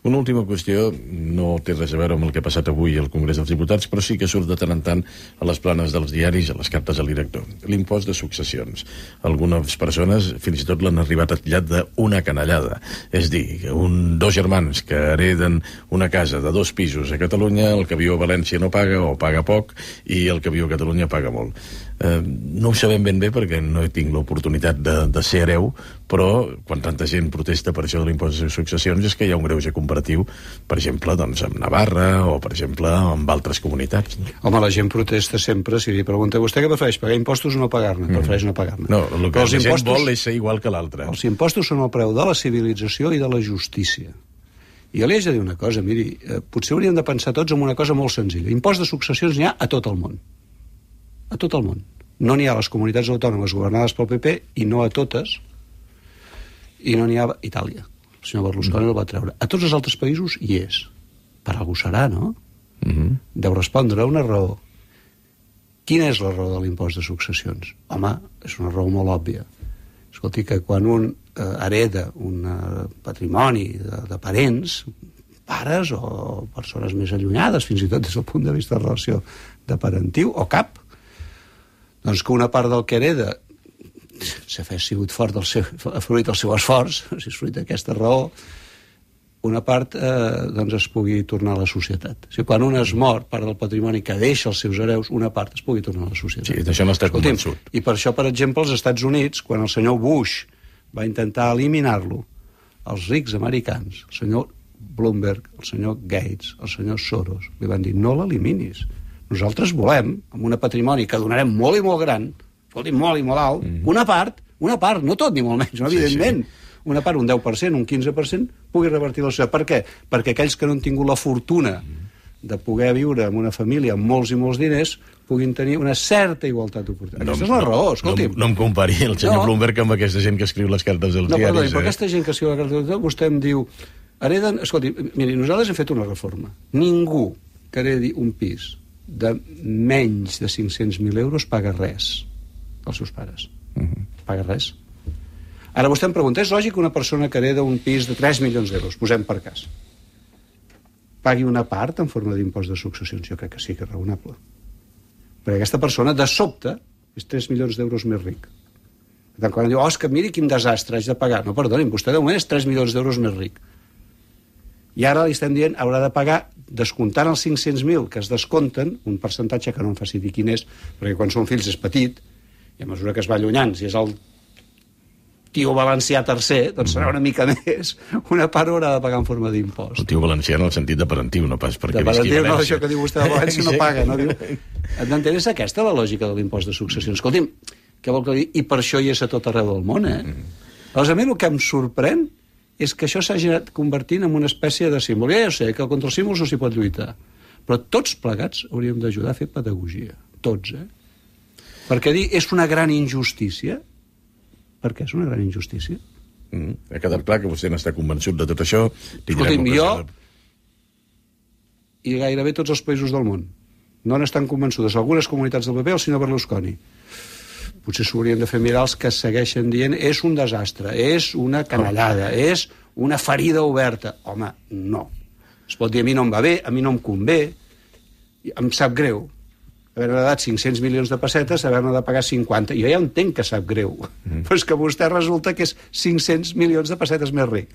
Una última qüestió, no té res a veure amb el que ha passat avui al Congrés dels Diputats, però sí que surt de tant en tant a les planes dels diaris, a les cartes al director. L'impost de successions. Algunes persones fins i tot l'han arribat a titllar d'una canallada. És dir, dos germans que hereden una casa de 2 pisos a Catalunya, el que viu a València no paga o paga poc, i el que viu a Catalunya paga molt. No ho sabem ben bé perquè no tinc l'oportunitat de ser hereu, però quan tanta gent protesta per això de l'impost de successions és que hi ha un greuge comparatiu, per exemple, doncs, amb Navarra o, per exemple, amb altres comunitats. Home, la gent protesta sempre. Si li pregunta, vostè què prefereix, pagar impostos o no pagar-ne? Prefereix no pagar-ne. No, el que la gent vol és ser igual que l'altre. Els impostos són el preu de la civilització i de la justícia. I jo li haig de dir una cosa, miri, potser hauríem de pensar tots en una cosa molt senzilla. Impost de successions n'hi ha a tot el món. A tot el món. No n'hi ha a les comunitats autònomes governades pel PP, i no a totes, i no n'hi ha a Itàlia. El senyor Berlusconi el va treure. A tots els altres països hi és. Per algú serà, no? Deu respondre a una raó. Quina és la raó de l'impost de successions? Home, és una raó molt òbvia. Escolti, que quan un hereda un patrimoni de parents, pares o persones més allunyades, fins i tot des del punt de vista de relació de parentiu, o cap, doncs que una part del que hereda, si ha sigut fruit del seu esforç, si és fruit d'aquesta raó, una part doncs es pugui tornar a la societat. O sigui, quan un es mor, part del patrimoni que deixa als seus hereus, una part es pugui tornar a la societat. Sí, d'això no està convençut. I per això, per exemple, als Estats Units, quan el senyor Bush va intentar eliminar-lo, els rics americans, el senyor Bloomberg, el senyor Gates, el senyor Soros, li van dir, no l'eliminis. Nosaltres volem, amb un patrimoni que donarem molt i molt gran, escolti, molt i molt alt, una part, no tot ni molt menys, no, evidentment, una part, un 10%, un 15%, pugui revertir la societat. Per què? Perquè aquells que no han tingut la fortuna de poder viure en una família amb molts i molts diners puguin tenir una certa igualtat d'oportunitats. Aquesta és la raó, escolti'm. No em compari el senyor Bloomberg amb aquesta gent que escriu les cartes dels diaris. Perdoni, però aquesta gent que escriu les cartes dels diaris, vostè em diu, hereden... Escolti, miri, nosaltres hem fet una reforma. Ningú que heredi un pis de menys de 500.000 euros paga res als seus pares. Paga res. Ara vostè em pregunta, és lògic que una persona que hereda un pis de 3 milions d'euros, posem per cas, pagui una part en forma d'impost de successions? Jo crec que sí que és raonable. Perquè aquesta persona, de sobte, és 3 milions d'euros més ric. Per tant, quan diu, és que miri quin desastre, haig de pagar. No, perdonin, vostè de moment és 3 milions d'euros més ric. I ara li estem dient, haurà de pagar, descomptant els 500.000 que es descompten, un percentatge que no em faci dir quin és, perquè quan són fills és petit, i a mesura que es va allunyant, si és el tio valencià tercer, doncs serà una mica més, una part haurà de pagar en forma d'impost. El tio valencià en el sentit de parentiu, no pas perquè visqui a València. No, això que diu vostè de València no paga, no? Entén, és aquesta la lògica de l'impost de successions. Escolti'm, què vol que digui? I per això hi és a tot arreu del món, Llavors, a mi el que em sorprèn és que això s'hagi anat convertint en una espècie de símbol. Ja sé que contra els símbols no s'hi pot lluitar, però tots plegats hauríem d'ajudar a fer pedagogia. Tots, Perquè dir és una gran injustícia. Per què és una gran injustícia? Ha quedat clar que vostè n'està convençut de tot això. Escolti'm, jo i gairebé tots els països del món no n'estan convençudes. Algunes comunitats del PP, el senyor Berlusconi. Potser s'haurien de fer mirar els que segueixen dient és un desastre, és una canallada, és una ferida oberta. Home, no. Es pot dir a mi no em va bé, a mi no em convé, em sap greu haver-ne dat 500 milions de pessetes, haver-ne de pagar 50. Jo ja entenc que sap greu, però és que vostè resulta que és 500 milions de pessetes més ric.